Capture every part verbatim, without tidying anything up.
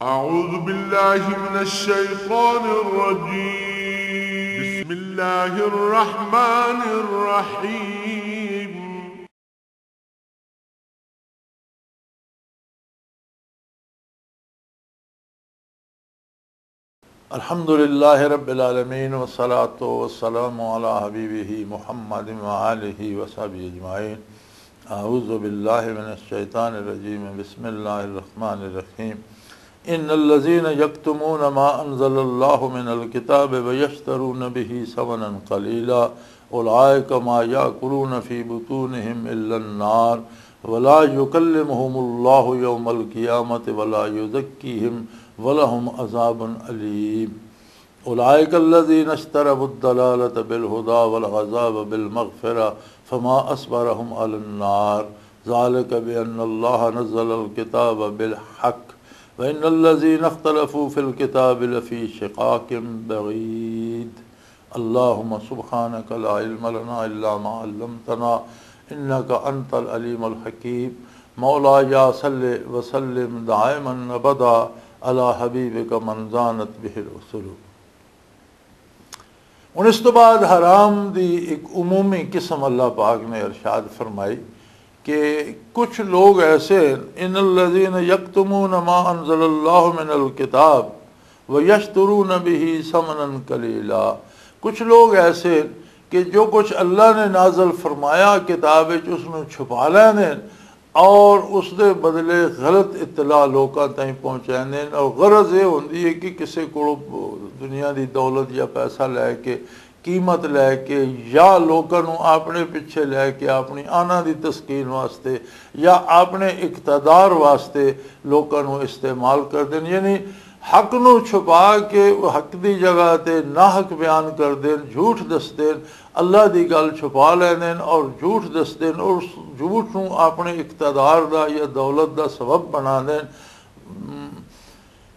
أعوذ بالله من الشيطان الرجيم. بسم الله الرحمن الرحيم. الحمد لله رب العالمين، والصلاة والسلام على حبيبه محمد وآله وصحبه أجمعين. أعوذ بالله من الشيطان الرجيم. بسم الله الرحمن الرحيم. إن الذين يكتمون ما أنزل الله من الكتاب ويشترون به ثمنا قليلا أولئك ما يأكلون في بطونهم إلا النار ولا يكلمهم الله يوم القيامة ولا يزكيهم ولهم عذاب أليم. أولئك الذين اشتروا الضلالة بالهدى والعذاب بالمغفرة فما أصبرهم على النار ذلك بأن الله نزل الكتاب بالحق وإن الذين اختلفوا في الكتاب لفي شقاق بعيد. اللهم سبحانك لا علم لنا إلا ما علمتنا إنك أنت العليم الحكيم. مولاي صل وسلم دائما أبدا على حبيبك من زانت به الرسل. ہن اس تو بعد حرام دی ایک عمومی قسم اللہ پاک نے ارشاد فرمائی کہ کچھ لوگ ایسے ہیں، ان الذین یکتمون ما انزل اللہ من الکتاب ویشترون به ثمنا قلیلا۔ کچھ لوگ ایسے ہیں کہ جو کچھ اللہ نے نازل فرمایا کتاب وچ، اس نو چھپا لیندے ہیں اور اس دے بدلے غلط اطلاع لوکاں تائیں پہنچاندے ہیں۔ اور غرض یہ ہوندی ہے کہ کسے کولوں دنیا دی دولت یا پیسہ لے کے، قیمت لے کے، یا لوکاں نوں اپنے پیچھے لے کے اپنی آنا دی تسکین واسطے یا اپنے اقتدار واسطے لوکاں نوں استعمال کر دین، یعنی حق نوں چھپا کے وہ حق دی جگہ تے ناحق بیان کر دین، جھوٹ دس دین، اللہ دی گل چھپا لیندے نے اور جھوٹ دس دین اور اس جھوٹ نوں اپنے اقتدار دا یا دولت دا سبب بنا دین۔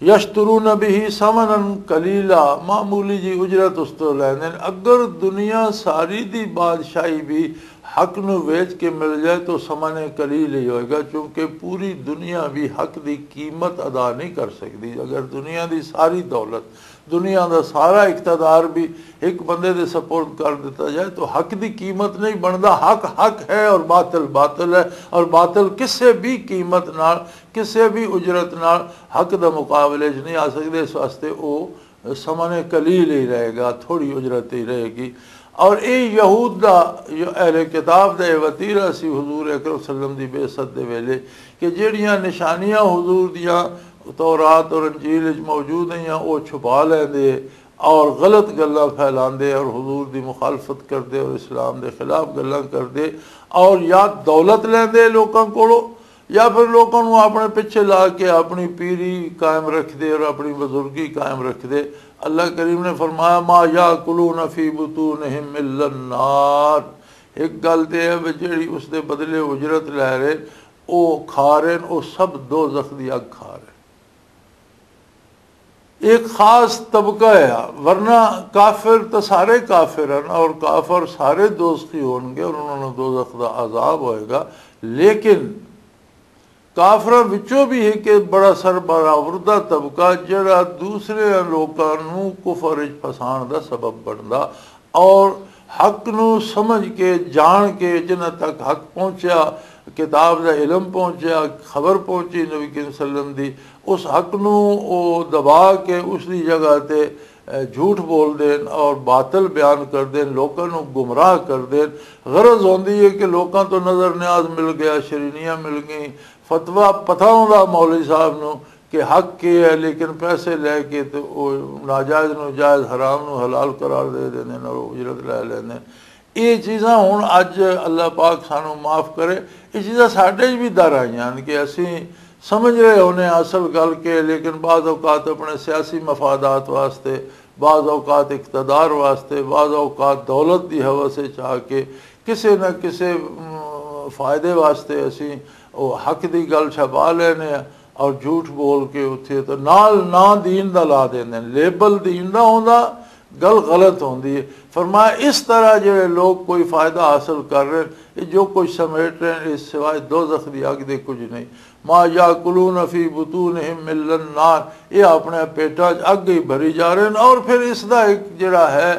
یشترون به ثمنا قلیلا، معمولی جی اجرت اس تو لیندے نے۔ اگر دنیا ساری دی بادشاہی بھی حق نو ویچ کے مل جائے تو ثمن قلیل ہی ہوئے گا، چونکہ پوری دنیا بھی حق دی قیمت ادا نہیں کر سکتی۔ اگر دنیا دی ساری دولت، دنیا دا سارا اقتدار بھی ایک بندے دے سپرد کر دیتا جائے تو حق دی قیمت نہیں بندا۔ حق حق ہے اور باطل باطل ہے، اور باطل کسے بھی قیمت نال، کسے بھی اجرت نال حق دا مقابلے چ نہیں آ سکدے۔ اس واسطے او ثمن قلیل ہی رہے گا، تھوڑی اجرت ہی رہے گی۔ اور اے یہود دا، جو اہل کتاب دا اے وتیرہ سی حضور اکرم صلی اللہ علیہ وسلم دی بعثت دے ویلے، کہ جڑیاں نشانیاں حضور دیاں تورات اور انجیل وچ موجود ہیں، او چھپا لیندے اور غلط گلاں پھیلاندے اور حضور دی مخالفت کردے اور اسلام دے خلاف گلاں کردے، اور یا دولت لیندے لوکاں کولوں، یا پھر لوکاں نوں اپنے پیچھے لا کے اپنی پیری قائم رکھ دے اور اپنی بزرگی قائم رکھ دے۔ اللہ کریم نے فرمایا، "ما یاکلون فی بطونہم الا النار۔" ایک گل تے ہے بھی جڑی اس دے بدلے اجرت لے رہے، او کھا رہے ہیں، او سب دوزخ دی اگ کھا رہے ہیں۔ ایک خاص طبقہ ہے، ورنہ کافر تو سارے کافر ہیں اور کافر سارے دوزخی ہون گے اور انہوں نے دوزخ دا عذاب ہوئے گا۔ لیکن کافراں وچوں بھی ایک بڑا سربراہ وردہ طبقہ جڑا دوسرے لوکاں نوں کفر وچ پھسان دا سبب بندا اور حق نوں سمجھ کے، جان کے، جنہاں تک حق پہنچیا، کتاب دا علم پہنچیا، خبر پہنچی نبی کریم صلی اللہ علیہ وسلم دی، اس حق نوں او دبا کے اس دی جگہ تے، اے، جھوٹ بول دین اور باطل بیان کر دین، لوکاں نوں گمراہ کر دین۔ غرض ہوندی ہے کہ لوکاں تو نظر نیاز مل گیا، شرینیاں مل گئیں، فتویٰ پتہ ہوندا مولوی صاحب نوں کہ حق کی ہے، لیکن پیسے لے کے تے او ناجائز نوں جائز، حرام نوں حلال قرار دے دیندے نے اور اجرت لے لیندے نے۔ یہ چیزاں ہن اج اللہ پاک سانوں معاف کرے، یہ چیزاں ساڈے وچ بھی در آئیاں نے کہ اسی سمجھ رہے ہونے اصل گل کے، لیکن بعض اوقات اپنے سیاسی مفادات واسطے، بعض اوقات اقتدار واسطے، بعض اوقات دولت دی ہوس وچ آ کے کسے نہ کسے، ام، فائدے واسطے اسی او حق دی گل چھپا لینے آ اور جھوٹ بول کے اتھے تے نال نہ دین دا لا دیندے نے۔ لیبل دین دا ہوندا، گل غلط ہوندی ہے۔ فرمایا، اس طرح جڑے لوگ کوئی فائدہ حاصل کر رہے ہیں، یہ جو کچھ سمیٹ رہے ہیں، اس سوائے دوزخ دی اگ دے کچھ نہیں۔ ما یاکلون فی بطونہم الا النار، یہ اپنے پیٹاں 'چ اگ ہی بھری جا رہے ہیں۔ اور پھر اس دا ایک جڑا ہے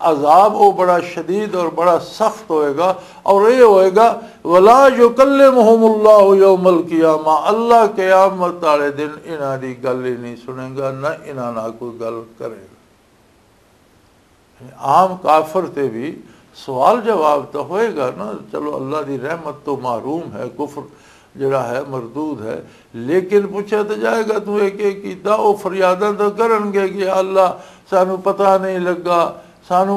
عذاب، وہ بڑا شدید اور بڑا سخت ہوئے گا۔ اور یہ ہوئے گا، ولا یکلمہم اللہ یوم القیامہ، اللہ قیامت والے دن انہاں دی گل ہی نہیں سنے گا، نہ انہاں نال کوئی گل کرے گا۔ عام کافر تے بھی سوال جواب تو ہوئے گا نا۔ چلو، اللہ دی رحمت تو محروم ہے، کفر جڑا ہے مردود ہے، لیکن پوچھا تو جائے گا، تو ایک ایک کیتا، وہ فریاداں تو کرن گے کہ یا اللہ، سانو پتہ نہیں لگا، سانو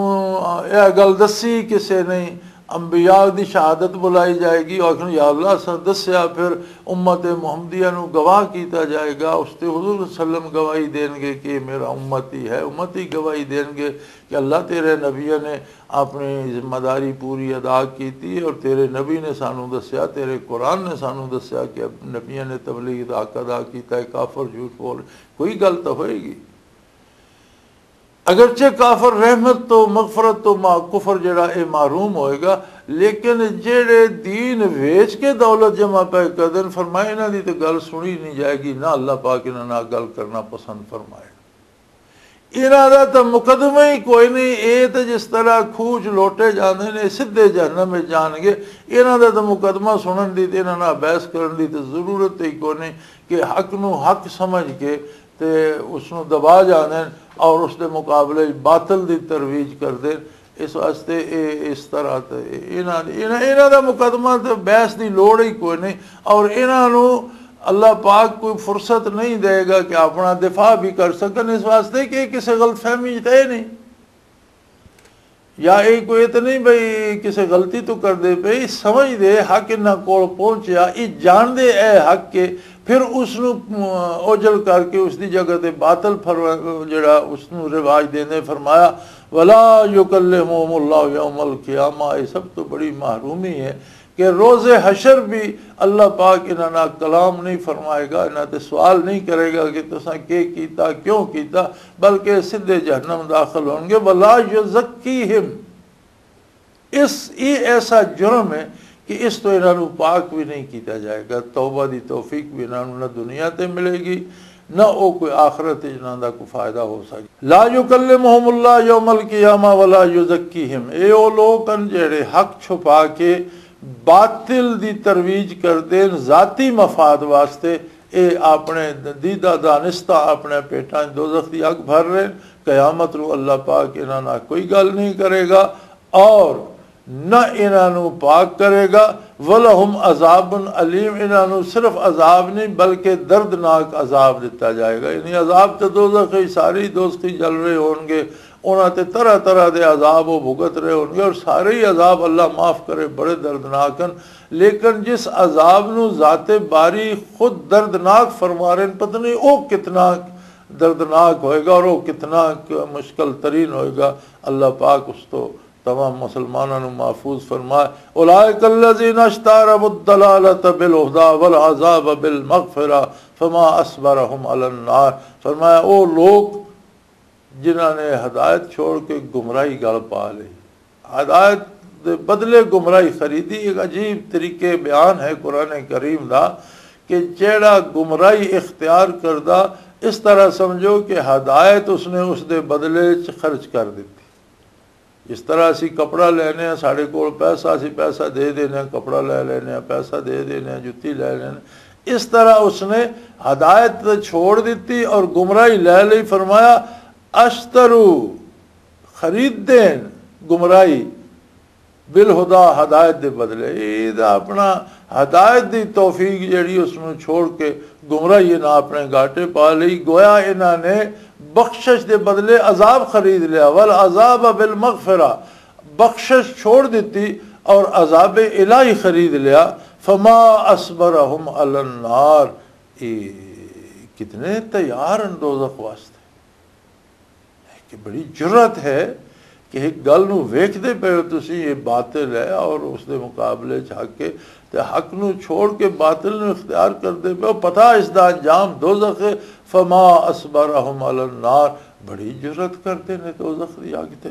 یہ گل دسی کسے نہیں۔ انبیاء دی شہادت بلائی جائے گی، اور آخر، یا اللہ، اساں دسیا۔ پھر امت محمدیہ نو گواہ کیتا جائے گا، اس تے حضور صلی اللہ علیہ وسلم گواہی دین گے کہ یہ میرا امتی ہے، امتی گواہی دین گے کہ اللہ، تیرے نبیوں نے اپنی ذمہ داری پوری ادا کیتی اور تیرے نبی نے سانو دسیا، تیرے قرآن نے سانو دسیا کہ نبیوں نے تبلیغ دا حق ادا کیتا ہے، کافر جھوٹ بول۔ کوئی گل تو ہوئے گی۔ اگرچہ کافر رحمت تو، مغفرت تو، ما کفر جڑا، اے محروم ہوئے گا، لیکن جڑے دین ویچ کے دولت جمع پہ کردن، فرمایا، انہاں دی تے گل سنی نہیں جائے گی، نہ اللہ پاک انہاں نال گل کرنا پسند فرمائے۔ انہاں دا تے مقدمہ ہی کوئی نہیں۔ اے تے جس طرح کھوج لوٹے جاندے نے، سدھے جہنم وچ جان گے۔ انہاں دا تے مقدمہ سنن دی تے انہاں نال بحث کرن دی تے ضرورت ہی کوئی نہیں کہ حق نو حق سمجھ کے تے اس نو دبا جاندے نے اور اس دے مقابلے وچ باطل دی ترویج کردے نے۔ اس واسطے اے اس طرح تے انہاں، انہاں، انہاں دا مقدمہ تے بحث دی لوڑ ہی کوئی نہیں۔ اور انہاں نو اللہ پاک کوئی فرصت نہیں دے گا کہ اپنا دفاع بھی کر سکن، اس واسطے کہ کسی غلط فہمی تے نہیں، یا اے کوئی تے نہیں بھئی کسی غلطی تو کر دے پئی، سمجھ دے حق انہاں کول پہنچیا، اے جان دے اے حق کے، پھر اس نو اوجل کر کے اس دی جگہ تے باطل پھر جڑا اس نو رواج دیندے۔ فرمایا، ولا یکلمہم اللہ یوم القیامہ، یہ سب تو بڑی محرومی ہے کہ روز حشر بھی اللہ پاک انہاں نال کلام نہیں فرمائے گا، انہاں تے سوال نہیں کرے گا کہ تساں کی کیتا، کیوں کیتا، بلکہ سدھے جہنم داخل ہون گے۔ ولا یزکیہم، اس یہ ایسا جرم ہے کہ اس تو انہاں نوں پاک بھی نہیں کیتا جائے گا، توبہ دی توفیق بھی انہاں نوں نہ دنیا تے ملے گی، نہ او کوئی آخرت وچ انہاں دا کوئی فائدہ ہو سکے۔ لا یکلمہم اللہ یوم القیامہ ولا یزکیہم، اے او لوگ ہن جڑے حق چھپا کے باطل دی ترویج کردے نے ذاتی مفاد واسطے۔ اے اپنے دیدہ دانستہ اپنے پیٹاں وچ دوزخ دی اگ بھر رہے نے۔ قیامت نوں اللہ پاک انہاں نال کوئی گل نہیں کرے گا اور نہ انہاں نوں پاک کرے گا۔ وَلَهُمْ عَذَابٌ أَلِيمٌ، انہاں نوں صرف عذاب نہیں بلکہ دردناک عذاب دتا جائے گا۔ یعنی عذاب تے دوزخ ہی، سارے ہی دوزخی جل رہے ہون گے، انہاں تے طرح طرح دے عذاب وہ بھگت رہے ہون گے، اور سارے ہی عذاب اللہ معاف کرے بڑے دردناک ہیں۔ لیکن جس عذاب نوں ذات باری خود دردناک فرما رہے ہیں، پتہ نہیں وہ کتنا دردناک ہوئے گا اور وہ کتنا مشکل ترین ہوئے گا۔ اللہ پاک اس تو تمام مسلمانوں نوں محفوظ فرمائے۔ اولئک الذین اشتروا الضلالۃ بالہدی والعذاب بالمغفرہ فما اصبرہم علی النار۔ فرمایا، او لوگ جنہاں نے ہدایت چھوڑ کے گمراہی گل پا لئی، ہدایت دے بدلے گمراہی خریدی۔ ایک عجیب طریقے بیان ہے قرآن کریم دا کہ جیڑا گمراہی اختیار کردا، اس طرح سمجھو کہ ہدایت اس نے اس دے بدلے چ خرچ کر دتی۔ جس طرح اسی کپڑا لینے ہیں، ساڈے کول پیسہ، اسی پیسہ دے دینے ہیں، کپڑا لے لینے ہیں، پیسہ دے دینے ہیں، جتی لے لینے ہیں، اس طرح اس نے ہدایت تے چھوڑ دتی اور گمراہی لے لئی۔ فرمایا، اشترو، خرید دین گمراہی، بالہدا، ہدایت دے بدلے۔ اے دا اپنا ہدایت دی توفیق جڑی اس نوں چھوڑ کے گمراہی نہ اپنے گاٹے پا لئی۔ گویا انہاں نے بخشش دے بدلے عذاب خرید لیا، والعذاب بالمغفرہ، بخشش چھوڑ دیتی اور عذاب الہی خرید لیا۔ فما اصبرہم علی النار، اے کتنے تیار ہیں دوزخ واسطے۔ کہ بڑی جرأت ہے کہ ایک گل نو ویکھدے پئے ہو تسی، یہ باطل ہے اور اس دے مقابلے چ حق ہے، تے حق نو چھوڑ کے باطل نو اختیار کردے پئے ہو، پتہ اس دا انجام دوزخ ہے۔ فما اصبرہم علی النار، بڑی جرأت کرتے نے دوزخ دی اگ تے۔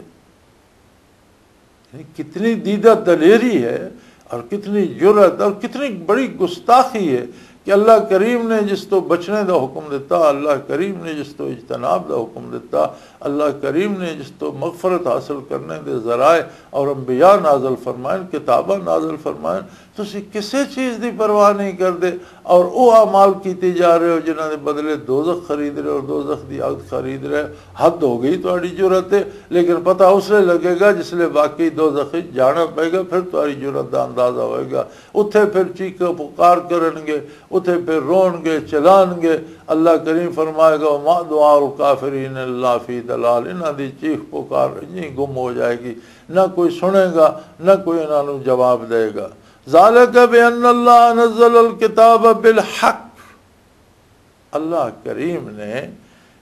یعنی کتنی دیدہ دلیری ہے اور کتنی جرأت اور کتنی بڑی گستاخی ہے کہ اللہ کریم نے جس تو بچنے دا حکم دیتا، اللہ کریم نے جس تو اجتناب دا حکم دیتا، اللہ کریم نے جس تو مغفرت حاصل کرنے دے ذرائع اور انبیاء نازل فرمائن، کتاباں نازل فرمائن، تسی کسے چیز دی پرواہ نہیں کردے اور او اعمال کیتے جا رہے ہو جنہاں دے بدلے دوزخ خرید رہے ہو، دوزخ دی اگ خرید رہے ہو۔ حد ہو گئی تہاڈی جرأت تے، لیکن پتہ اس لیے لگے گا جس لیے واقعی دوزخ وچ جانا پئے گا، پھر تہاڈی جرأت دا اندازہ ہوئے گا۔ اتھے پھر چیخ پکار کرن گے، اتھے پھر رون گے، چلان گے۔ اللہ کریم فرمائے گا، "وما دعاء الکافرین الا فی ضلال"، انہاں دی چیخ پکار انجی گم ہو جائے گی، نہ کوئی سنے گا، نہ کوئی انہاں نوں جواب دے گا۔ ذالک بان اللہ نزل الکتاب بالحق، اللہ کریم نے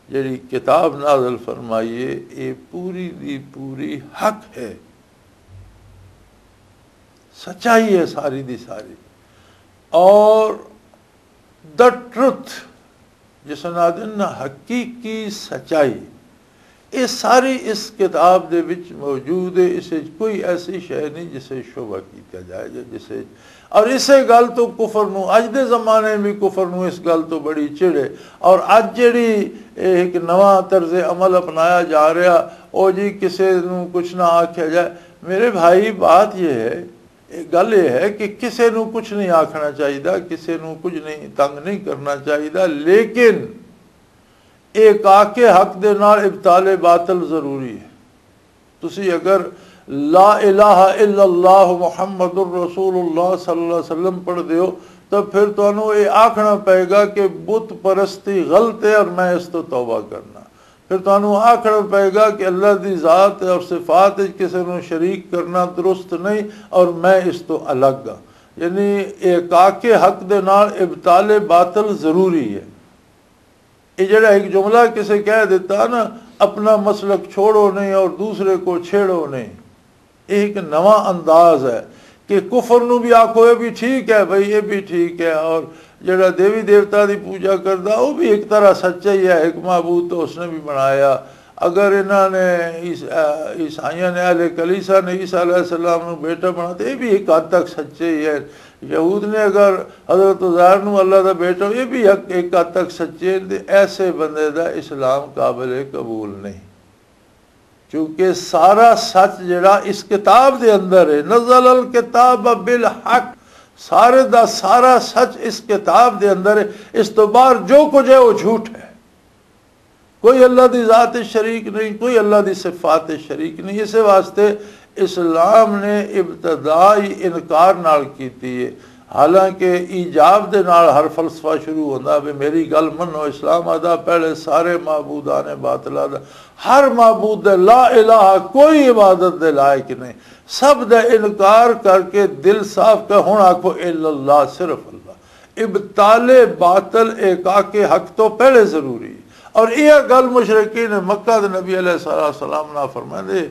جڑی کتاب نازل فرمائی ہے، یہ پوری دی پوری حق ہے، سچائی ہے ساری دی ساری۔ اور دا ٹروتھ، جس نادن حقیقی سچائی، یہ ساری اس کتاب دے وچ موجود ہے۔ اس وچ کوئی ایسی شے نہیں جسے شبہ کیتا جائے یا جسے، اور اسے گل تو کفر نو، اج دے زمانے بھی کفر نو اس گل تو بڑی چڑ ہے۔ اور اج جڑی ایک نواں طرز عمل اپنایا جا رہا، او جی کسے نو کچھ نہ آکھیا جائے۔ میرے بھائی، بات یہ ہے، گل یہ ہے کہ کسے نو کچھ نہیں آکھنا چاہیے، کسے نو کچھ نہیں، تنگ نہیں کرنا چاہیے، لیکن ایک آکے حق دے نال ابطال باطل ضروری ہے۔ تسی اگر لا الہ الا اللہ محمد الرسول اللہ صلی اللہ علیہ وسلم پڑھ دیو، تو پھر تانوں یہ آکھنا پائے گا کہ بت پرستی غلط ہے اور میں اس تو توبہ کرنا۔ پھر تانوں آکھنا پائے گا کہ اللہ دی ذات اور صفات وچ کسے نوں شریک کرنا درست نہیں اور میں اس تو الگ ہاں۔ یعنی ایک آکے حق دے نال ابطال باطل ضروری ہے۔ یہ جڑا ایک جملہ کسے کہہ دیتا نا، "اپنا مسلک چھوڑو نہیں اور دوسرے کو چھیڑو نہیں"، یہ ایک نواں انداز ہے کہ کفر نو بھی آکھو، "یہ بھی ٹھیک ہے بھائی، یہ بھی ٹھیک ہے"، اور جڑا دیوی دیوتا دی پوجا کردا، وہ بھی ایک طرح سچا ہی ہے، ایک معبود تو اس نے بھی بنایا۔ اگر انہاں نے عیس-، آ، عیسائیاں نے، اہل کلیسا نے عیسیٰ علیہ السلام نو بیٹا بنا، تو یہ بھی ایک حد تک سچے ہی ہے۔ یہود نے اگر حضرت عزیر نو اللہ دا بیٹا، یہ بھی حق، ایک حد تک سچے ہیں، تے ایسے بندے دا اسلام قابل قبول نہیں۔ کیونکہ سارا سچ جڑا اس کتاب دے اندر ہے، نزل الکتاب بالحق، سارے دا سارا سچ اس کتاب دے اندر ہے۔ اس تو باہر جو کچھ ہے، وہ جھوٹ ہے۔ کوئی اللہ دی ذات شریک نہیں، کوئی اللہ دی صفات شریک نہیں۔ اسے واسطے اسلام نے ابتدائی انکار نال کیتی ہے، حالانکہ ایجاب دے نال ہر فلسفہ شروع ہوندا، "بھی میری گل منو، اسلام آدا پہلے سارے معبودان باطلہ دا، ہر معبود دے، لا الہ، کوئی عبادت دے لائق نہیں، سب دا انکار کر کے دل صاف کر، ہن آکھو الا اللہ، صرف اللہ۔" ابطال باطل ایک آکے حق تو پہلے ضروری ہے۔ اور یہ گل مشرکین مکہ دے نبی علیہ الصلوۃ والسلام نہ فرمائے،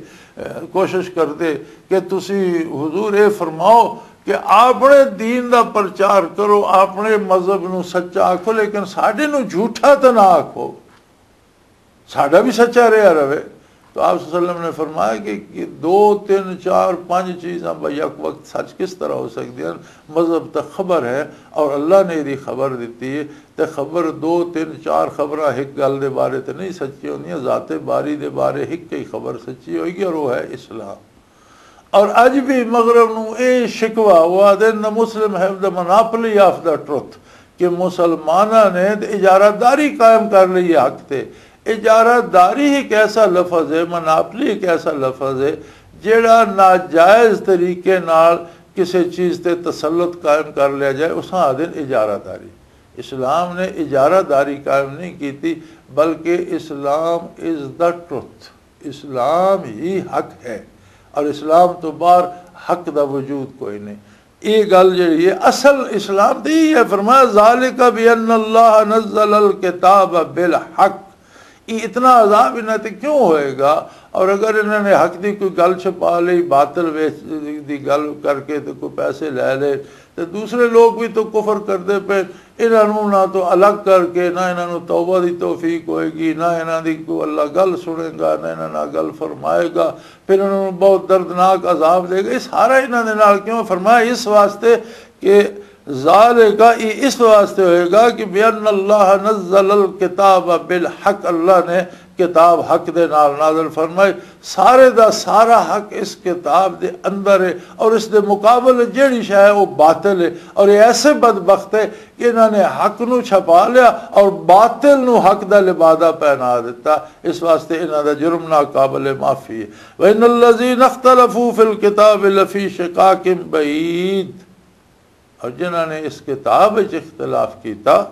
کوشش کردے کہ تسی حضور اے فرماؤ کہ اپنے دین دا پرچار کرو، اپنے مذہب نو سچا آکھو، لیکن ساڈے نو جھوٹا تے نہ آکھو، ساڈا بھی سچا رہیا رہے۔ تو آپ صلی اللہ علیہ وسلم نے فرمایا کہ، کہ دو، تین، چار، پانچ چیزاں با یک وقت سچ کس طرح ہو سکدی ہیں؟ مذہب تے خبر ہے اور اللہ نے دی خبر دتی ہے، تے خبر دو، تین، چار خبراں ایک گل دے بارے تے نہیں سچی ہوندیاں، ذات باری دے بارے ایک ہی خبر سچی ہوئے گی اور وہ ہے اسلام۔ اور اج بھی مغرب نو اے شکوہ، وہ آدھے نہ مسلم ہے دا مناپلی آف دا ٹروتھ، کہ مسلماناں نے تے اجارہ داری قائم کر لی ہے حق تے۔ اجارہ داری ایک ایسا لفظ ہے، مناپلی ایک ایسا لفظ ہے جیڑا ناجائز طریقے نال کسے چیز تے تسلط قائم کر لیا جائے، اساں آدھے اجارہ داری۔ اسلام نے اجارہ داری قائم نہیں کیتی، بلکہ اسلام از دا ٹروتھ، اسلام ہی حق ہے اور اسلام تو باہر حق دا وجود کوئی نہیں۔ یہ گل جڑی ہے اصل اسلام دی ہے، فرمایا، "ذالک بان اللہ نزل الکتاب بالحق"، یہ اتنا عذاب انہاں تے کیوں ہوئے گا؟ اور اگر انہاں نے حق دی کوئی گل چھپا لئی، باطل ویچ دی گل کر کے تے کوئی پیسے لے لے، تے دوسرے لوگ بھی تو کفر کردے پے، انہاں نوں نہ تو الگ کر کے، نہ انہاں نوں توبہ دی توفیق ہوئے گی، نہ انہاں دی کوئی اللہ گل سنے گا، نہ انہاں نال گل فرمائے گا، پھر انہاں نوں بہت دردناک عذاب دے گا۔ یہ سارا انہاں دے نال کیوں فرمایا؟ اس واسطے کہ ذالک، یہ اس واسطے ہوئے گا کہ بِأَنَّ اللَّهَ نَزَّلَ الْكِتَابَ بِالْحَقِّ، اللہ نے کتاب حق دے نال نازل فرمائی۔ سارے دا سارا حق اس کتاب دے اندر ہے، اور اس دے مقابل جیڑی شے ہے وہ باطل ہے۔ اور یہ ایسے بدبخت ہے کہ انہاں نے حق نو چھپا لیا اور باطل نو حق دا لبادہ پہنا دیتا۔ اس واسطے انہاں دا جرم ناقابل معافی ہے۔ وَإِنَّ الَّذِينَ اخْتَلَفُوا فِي الْكِتَابِ لَفِي شِقَاقٍ بَعِيدٍ، اور جنہاں نے اس کتاب وچ اختلاف کیتا،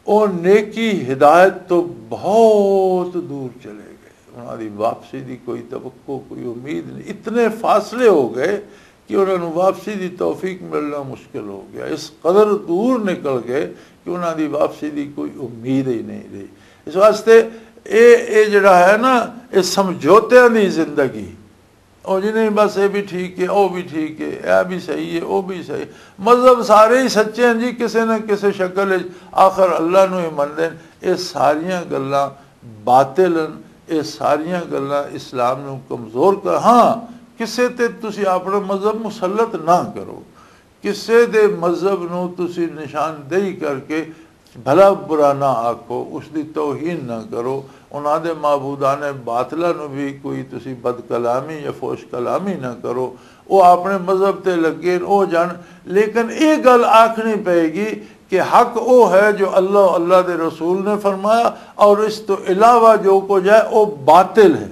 وہ نیکی ہدایت تو بہت دور چلے گئے۔ انہاں دی واپسی دی کوئی توقع، کوئی امید نہیں۔ اتنے فاصلے ہو گئے کہ انہاں نوں واپسی دی توفیق ملنا مشکل ہو گیا۔ اس قدر دور نکل گئے کہ انہاں دی واپسی دی کوئی امید ہی نہیں رہی۔ اس واسطے اے، اے جڑا ہے نا، اے سمجھوتیاں دی زندگی، او جی نہیں، بس اے بھی ٹھیک ہے، او بھی ٹھیک ہے، اے بھی صحیح ہے، او بھی صحیح ہے۔ مذہب سارے ہی سچے ہیں جی، کسے نہ کسے شکل وچ آخر اللہ نو ہی مندے نے۔ اے ساریاں گلاں باطل ہیں، اے ساریاں گلاں اسلام نو کمزور کر۔ ہاں، کسے تے تسی اپنا مذہب مسلط نہ کرو، کسے دے مذہب نو تسی نشاندہی کر کے بھلا برا نہ آکھو، اس دی توہین نہ کرو، انہاں دے معبودان باطلہ نو بھی کوئی تسی بد کلامی یا فوش کلامی نہ کرو۔ او اپنے مذہب تے لگے، او جان۔ لیکن اے گل آکھنی پئے گی کہ حق او ہے جو اللہ، اللہ دے رسول نے فرمایا، اور اس تو علاوہ جو کچھ ہے، او باطل ہے۔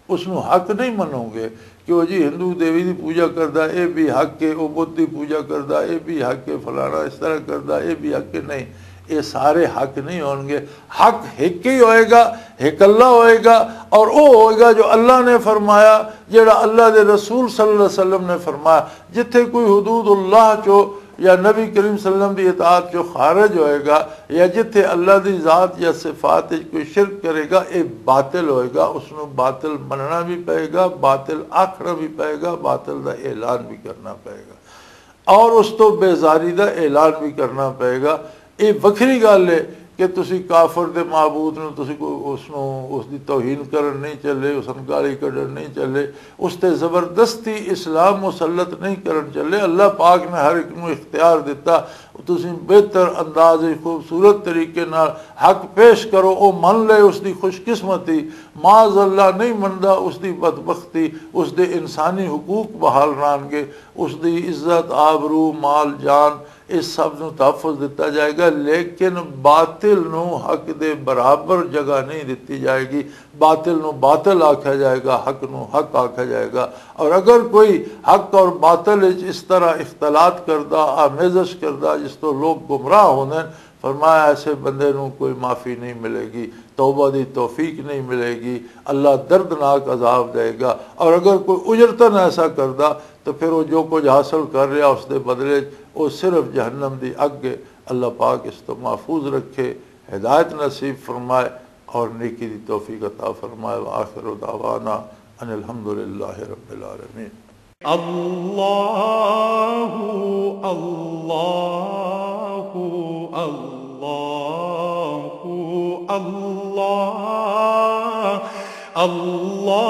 اس نو حق نہیں منو گے کہ وہ جی ہندو دیوی دی پوجا کردا، اے بھی حق ہے، وہ بدھ دی پوجا کردا، اے بھی حق ہے، فلانا اس طرح کردا، اے بھی حق ہے۔ نہیں، اے سارے حق نہیں ہون گے۔ حق ایک ہی ہوئے گا، ایک اللہ ہوئے گا، اور وہ ہوئے گا جو اللہ نے فرمایا، جڑا اللہ دے رسول صلی اللہ علیہ وسلم نے فرمایا۔ جتھے کوئی حدود اللہ چو یا نبی کریم صلی اللہ علیہ وسلم دی اطاعت چو خارج ہوئے گا، یا جتھے اللہ دی ذات یا صفات وچ کوئی شرک کرے گا، اے باطل ہوئے گا، اس نوں باطل مننا بھی پئے گا، باطل آکھنا بھی پئے گا، باطل دا اعلان بھی کرنا پئے گا، اور اس تو بیزاری دا اعلان بھی کرنا پئے گا۔ اے وکھری گل ہے کہ تسی کافر دے معبود نوں، تسی کو اس نوں، اس دی توہین کرن نہیں چلے، اس نوں گالی کڈن نہیں چلے، اس تے زبردستی اسلام مسلط نہیں کرن چلے۔ اللہ پاک نے ہر ایک نوں اختیار دتا، تسی بہتر انداز وچ، خوبصورت طریقے نال حق پیش کرو، او من لے، اس دی خوش قسمتی۔ معاذ اللہ نہیں مندا، اس دی بدبختی، اس دے انسانی حقوق بحال رہن گے، اس دی عزت، آبرو، مال، جان، اس سب نوں تحفظ دتا جائے گا، لیکن باطل نوں حق دے برابر جگہ نہیں دتی جائے گی۔ باطل نوں باطل آکھیا جائے گا، حق نوں حق آکھیا جائے گا۔ اور اگر کوئی حق اور باطل وچ اس طرح اختلاط کردا، آمیزش کردا، جس تو لوگ گمراہ ہوندے نے، فرمایا ایسے بندے نوں کوئی معافی نہیں ملے گی، توبہ دی توفیق نہیں ملے گی، اللہ دردناک عذاب دے گا۔ اور اگر کوئی اجرتاً ایسا کردا، تو پھر وہ جو کچھ حاصل کر رہا اس دے بدلے، وہ صرف جہنم دی اگ ہے۔ اللہ پاک اس تو محفوظ رکھے، ہدایت نصیب فرمائے اور نیکی دی توفیق عطا فرمائے۔ وآخر دعوانا ان الحمد للہ رب العالمین۔ اللہ، اللہ، اللہ، اللہ، اللہ،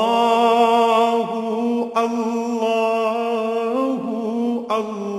اللہ، اللہ۔